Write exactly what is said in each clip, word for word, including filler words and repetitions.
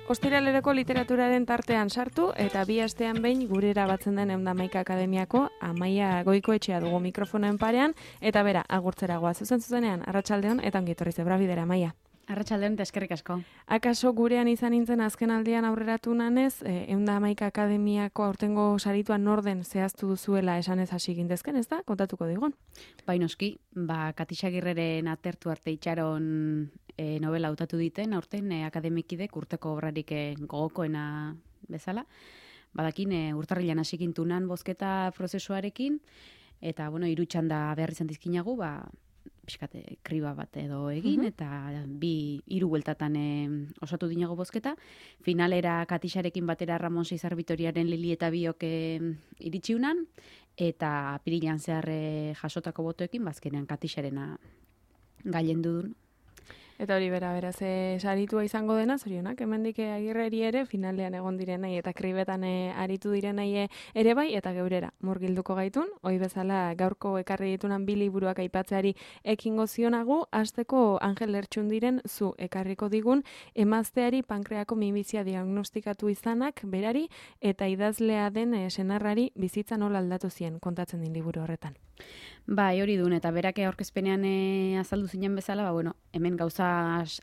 Ostiraleroko literaturaren tartean sartu eta bi astean behin gurera batzen den Ehun eta Hamaika Akademiako Amaia Goikoetxea dugu mikrofonoen parean eta bera agurtzera goaz zuzen zuzenean arratsaldeon eta ongi etorri zebra bidera Amaia. Arratsaldeon eta eskerrik asko. Akaso gurean izan nintzen azken aldian aurreratu nanez, Ehun eta Hamaika Akademiako aurtengo sarituan norden zehaztu duzuela esanez hasi gindezken, ez da? Kontatuko digun. Bai noski, ba Katixagirreren atertu arte itxaron e, novela hautatu diten, aurten e, akademikidek urteko obrarik e, gogokoena bezala. Badakin e, urtarrilan hasi gintunan bozketa prozesuarekin, eta bueno, hiru txanda behar izan dizkinagu, ba pixkate kriba bat edo egin, uh-huh. eta bi hiru bueltatan e, osatu dinago bozketa. Finalera Katixarekin batera Ramon Seizar Vitoriaren Lili eta biok e, iritsiunan, eta apirilan zehar e, jasotako botoekin, bazkenean Katixarena gailendu duen. Eta hori bera, beraz, e, saritua izango dena, zorionak, hemendik Agirreri ere, finalean egon direnei eta kribetan e, aritu direnei ere bai, eta geurera murgilduko gaitun, hoi bezala gaurko ekarri ditunan bi liburuak aipatzeari ekingo zionagu, hasteko Angel Lertxundiren zu ekarriko digun, emazteari pankreako minbizia diagnostikatu izanak, berari, eta idazlea den e, senarrari bizitza nola aldatu zien, kontatzen din liburu horretan. Bai, hori duen, eta berak aurkezpenean e, azaldu zinen bezala, ba, bueno, hemen gauza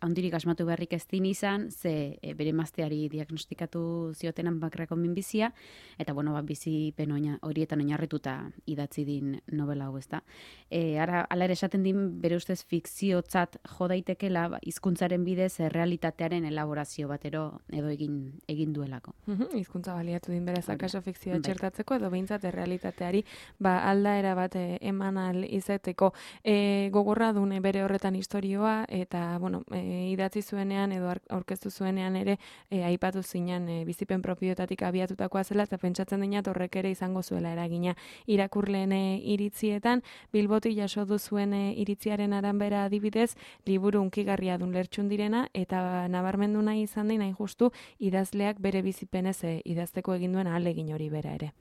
handirik asmatu beharrik ez din izan, ze e, bere emazteari diagnostikatu ziotenan pankreako minbizia, eta bueno, ba, bizipen oina, horietan oinarrituta idatzi din novela hau, ezta. E, ara, ala ere esaten din, bere ustez fikziotzat jo daitekela, ba, hizkuntzaren bidez e, realitatearen elaborazio batero edo egin egin duelako. Hizkuntza baliatu din beraz, akaso fikzioa txertatzeko, edo behintzat errealitateari ba, aldaera bat e, eman al izateko. E, gogorra dune bere horretan istorioa, eta bueno, e, idatzi zuenean edo aurkeztu zuenean ere e, aipatu zinen e, bizipen propioetatik abiatutakoa zela, eta pentsatzen dinat horrek ere izango zuela eragina irakurleen e, iritzietan. Bilbotik jaso du zuen e, iritziaren aranbera adibidez, liburu hunkigarria dun Lertxundirena, eta nabarmendu nahi izan din, hain justu, idazleak bere bizipenez e, idazteko egin duen ahalegin hori bera ere.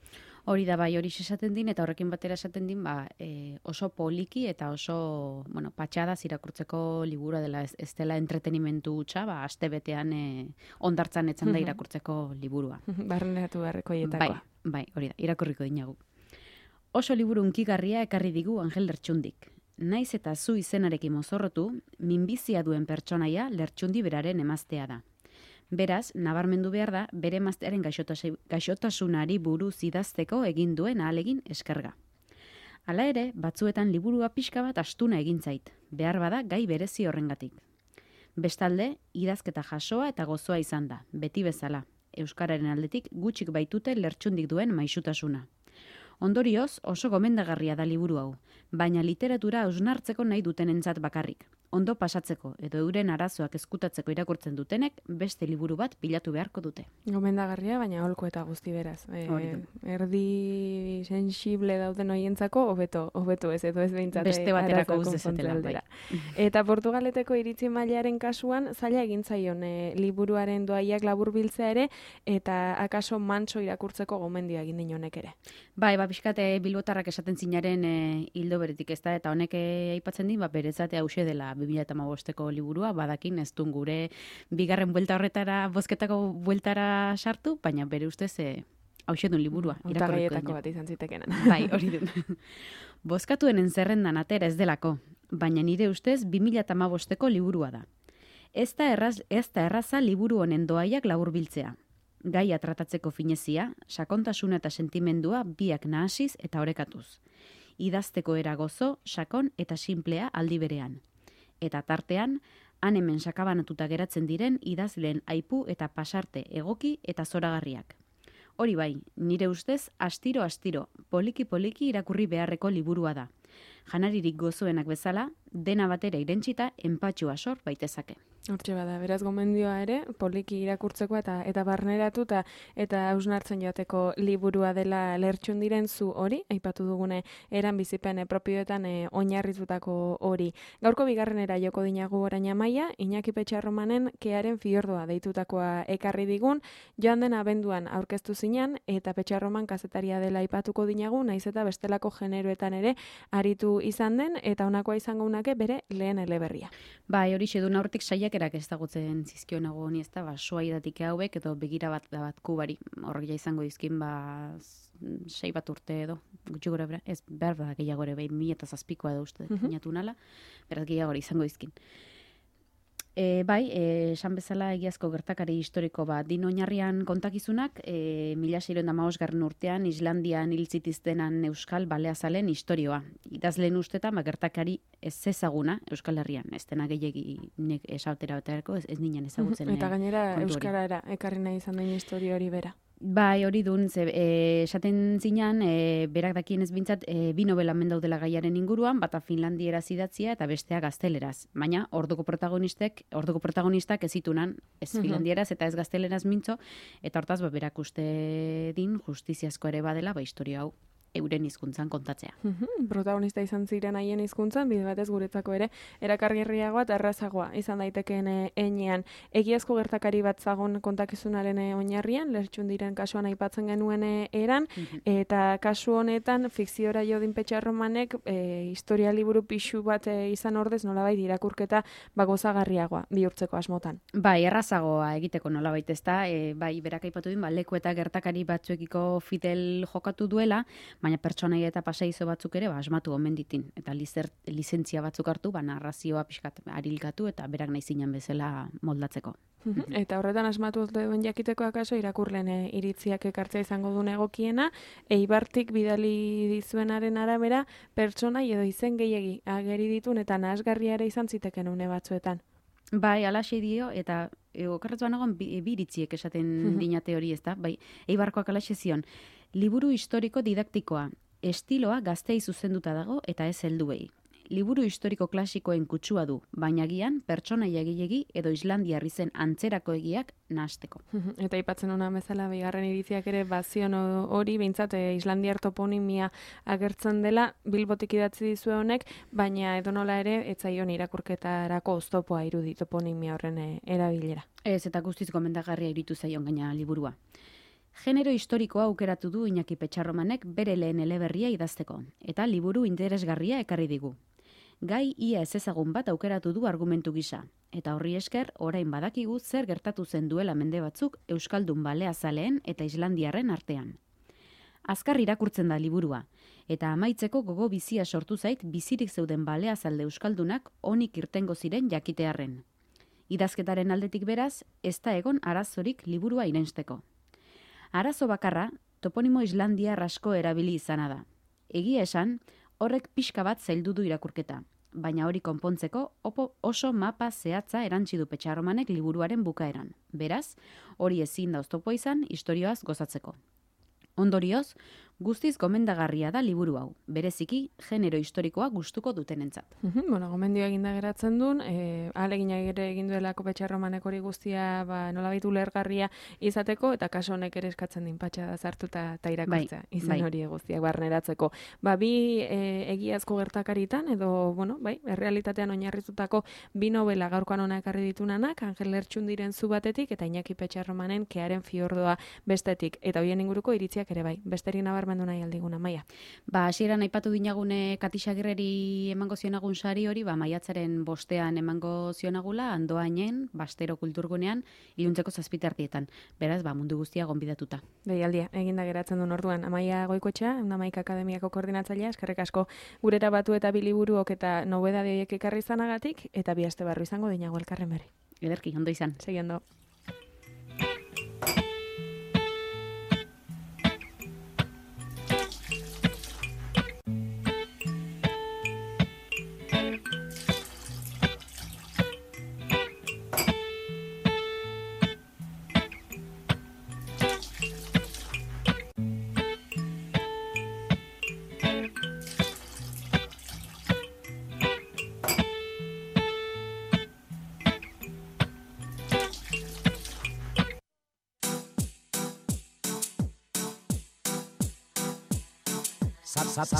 Hori da bai, hori esaten din, eta horrekin batera esaten din, ba, e, oso poliki eta oso, bueno, patxadaz irakurtzeko liburua dela, ez, ez dela entretenimentu hutsa, ba, aste betean e, ondartzan etzan da irakurtzeko liburua. Barneratu beharreko hietakoa. Bai, bai, hori da, irakurriko dinagu. Oso liburu hunkigarria ekarri digu Angel Lertxundik. Naiz eta zu izenarekin mozorrotu, minbizia duen pertsonaia Lertxundi beraren emaztea da. Beraz, nabarmendu behar da, bere emaztearen gaixotasunari buruz idazteko egin duen ahalegin eskerga. Hala ere, batzuetan liburua pixka bat astuna egin zait, behar bada gai berezi horrengatik. Bestalde, idazketa jasoa eta gozoa izan da, beti bezala, euskararen aldetik gutxik baitute Lertxundik duen maisutasuna. Ondorioz, oso gomendagarria da liburu hau, baina literatura hausnartzeko nahi dutenentzat bakarrik. Ondo pasatzeko edo euren arazoak ezkutatzeko irakurtzen dutenek beste liburu bat bilatu beharko dute. Gomendagarria, baina holko eta guzti beraz. E, erdi sensible dauden hoientzako hobeto, hobeto ez edo ez behintzat beste baterako uz dezatela. Bai. Eta Portugaleteko iritzi mailaren kasuan zaila egin zaion e, liburuaren doaiak laburbiltzea ere eta akaso mantso irakurtzeko gomendia egin din honek ere. Bai, ba pixkate bilbotarrak esaten zinaren e, hildo beretik ez da, eta honek e, aipatzen din, ba berezate hause dela bi mila hamabosteko liburua, badakin ez duen gure bigarren buelta horretara, bozketako bueltara sartu, baina bere ustez e, hause duen liburua. Hautagaietako bat izan zitekenan. Bai, hori duen. Bozkatuenen zerrendan atera ez delako, baina nire ustez bi mila hamabosteko liburua da. Ez da erraz, ez da erraza liburu honen doaiak laburbiltzea. Gaia tratatzeko finezia, sakontasuna eta sentimendua biak nahasiz eta orekatuz. Idazteko era gozo, sakon eta simplea aldi berean. Eta tartean, han hemen sakabanatuta geratzen diren idazleen aipu eta pasarte egoki eta zoragarriak. Hori bai, nire ustez, astiro-astiro, poliki-poliki irakurri beharreko liburua da. Janaririk gozoenak bezala, dena batera irentsita enpatxua sor baitezake. Hortxe bada, beraz gomendioa ere, poliki irakurtzeko eta eta barneratuta eta hausnartzen joateko liburua dela Lertxundiren zu hori, aipatu dugune eran bizipen propioetan e, oinarritutako hori. Gaurko bigarrenera joko dinagu orain Amaia, Iñaki Petxarromanen Kearen fiordoa deitutakoa ekarri digun, joan den abenduan aurkeztu zinan, eta Petxarroman kazetaria dela aipatuko dinagu, naiz eta bestelako generoetan ere aritu izan den, eta honakoa izango unake bere lehen eleberria. Bai, hori xedun aurretik saiak euskerak ezagutzen zizkionago honi, ez da, ba, soaidatik hauek, edo begira bat da bat kubari, horrek ja izango dizkin, ba, sei bat urte edo, gutxi gora bera, ez behar da gehiago ere, behin mila eta zazpikoa edo uste, Mhm. inatu nala, beraz gehiago izango dizkin. E, bai, e, esan bezala egiazko gertakari historiko bat. Din oinarrian kontakizunak, e, mila seiehun eta hamabosgarren urtean Islandian hil zitiztenan euskal baleazalen historioa. Idazleen ustetan, ba, gertakari ez ezaguna Euskal Herrian. Ez dena gehiegi nek esatera beterako, ez, ez ninen ezagutzen. Eta gainera kontu hori. euskarara ekarri nahi izan den historia hori bera. Bai, hori dun, ze, e, esaten zinan, e, berak dakien ez bintzat, e, bi novela mendaudela gaiaren inguruan, bata finlandieraz idatzia eta bestea gazteleraz. Baina, orduko protagonistek, orduko protagonistak ez zitunan, ez Mhm. finlandieraz eta ez gazteleraz mintzo, eta hortaz, ba, berak uste din, justiziazko ere badela, ba, historia hau euren hizkuntzan kontatzea. Mhm, protagonista izan ziren haien hizkuntzan, bide batez guretzako ere, erakargarriagoa eta errazagoa izan daitekeen eh, heinean. Egiazko gertakari bat zagon kontakizunaren eh, oinarrian, Lertxundiren kasuan aipatzen genuen eh, eran, eta kasu honetan, fikziora Jodin Petxarromanek eh, historia liburu pixu bat eh, izan ordez, nolabait irakurketa ba, gozagarriagoa bihurtzeko asmotan. Bai, errazagoa egiteko nolabait ez da, e, bai, berak aipatu din, ba, leku eta gertakari batzuekiko fidel jokatu duela, baina pertsonai eta pasaizo batzuk ere ba, asmatu omen ditin. Eta lizer, lizentzia batzuk hartu, ba, narrazioa pixkat arilkatu eta berak nahi zinan bezala moldatzeko. Mhm, Eta horretan asmatu duen jakiteko akaso irakurlen eh, iritziak ekartzea izango duen egokiena, Eibartik bidali dizuenaren arabera pertsonai edo izen gehiegi ageri ditun eta nahasgarria ere izan ziteken une batzuetan. Bai, alaxe dio, eta e, okerretu banagoan bi, bi iritziek esaten dinate hori ez da, bai, Eibarkoak alaxe zion, liburu historiko didaktikoa, estiloa gaztei zuzenduta dago eta ez helduei. Liburu historiko klasikoen kutsua du, baina gian pertsonaia gehiegi edo Islandiar izen antzerako egiak nahasteko. Mhm, Eta aipatzen ona bezala bigarren iritziak ere bazion o- hori behintzat eh, Islandiar toponimia agertzen dela Bilbotik idatzi dizue honek, baina edonola ere etzaion irakurketarako oztopoa irudi toponimia horren eh, erabilera. Ez eta guztiz gomendagarria iritu zaion gaina liburua. Genero historikoa aukeratu du Iñaki Petxarromanek bere lehen eleberria idazteko, eta liburu interesgarria ekarri digu. Gai ia ez ezagun bat aukeratu du argumentu gisa, eta horri esker orain badakigu zer gertatu zen duela mende batzuk Euskaldun baleazaleen eta Islandiarren artean. Azkar irakurtzen da liburua, eta amaitzeko gogo bizia sortu zait bizirik zeuden baleazalde Euskaldunak onik irtengo ziren jakitearren. Idazketaren aldetik beraz, ez da egon arazorik liburua irensteko. Arazo bakarra, toponimo Islandiar asko erabili izana da. Egia esan, horrek pixka bat zaildu du irakurketa, baina hori konpontzeko opo oso mapa zehatza erantzi du Petxarromanek liburuaren bukaeran. Beraz, hori ezin da oztopo izan istorioaz gozatzeko. Ondorioz, guztiz gomendagarria da liburu hau, bereziki genero historikoa gustuko dutenentzat. Mhm, Bueno, gomendio eginda geratzen duen, e, ahalegina ere egin duelako Petxarromanek hori guztia ba, nolabait ulergarria izateko, eta kaso honek ere eskatzen din patxa zartuta eta irakurtzea, Bai, izan bai. hori guztiak barneratzeko. Ba, bi e, egiazko gertakaritan, edo, bueno, bai, errealitatean oinarritutako bi novela gaurkoan hona ekarri ditunanak, Angel Lertxundiren zu batetik, eta Iñaki Petxarromanen Kearen fiordoa bestetik, eta hoien inguruko iritziak ere bai, besterik nabarmendu nahi aldiguna, Maia. Ba, hasieran aipatu dinagune Katixagirreri emango zionagun sari hori, ba, maiatzaren bostean emango zionagula, Andoainen, Bastero kulturgunean, iluntzeko zazpitertietan. Beraz, ba, mundu guztia gonbidatuta. Deialdia, eginda geratzen duen orduan. Amaia Goikoetxea, Amaika Akademiako koordinatzailea, eskerrik asko gurera batu eta biliburuok eta nobedade horiek ekarri izanagatik, eta bi aste barru izango dinago elkarren berri. Ederki, ondo izan. Segi ondo.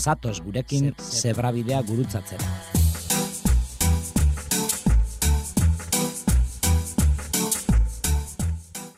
Zatoz gurekin zebrabidea gurutzatzera.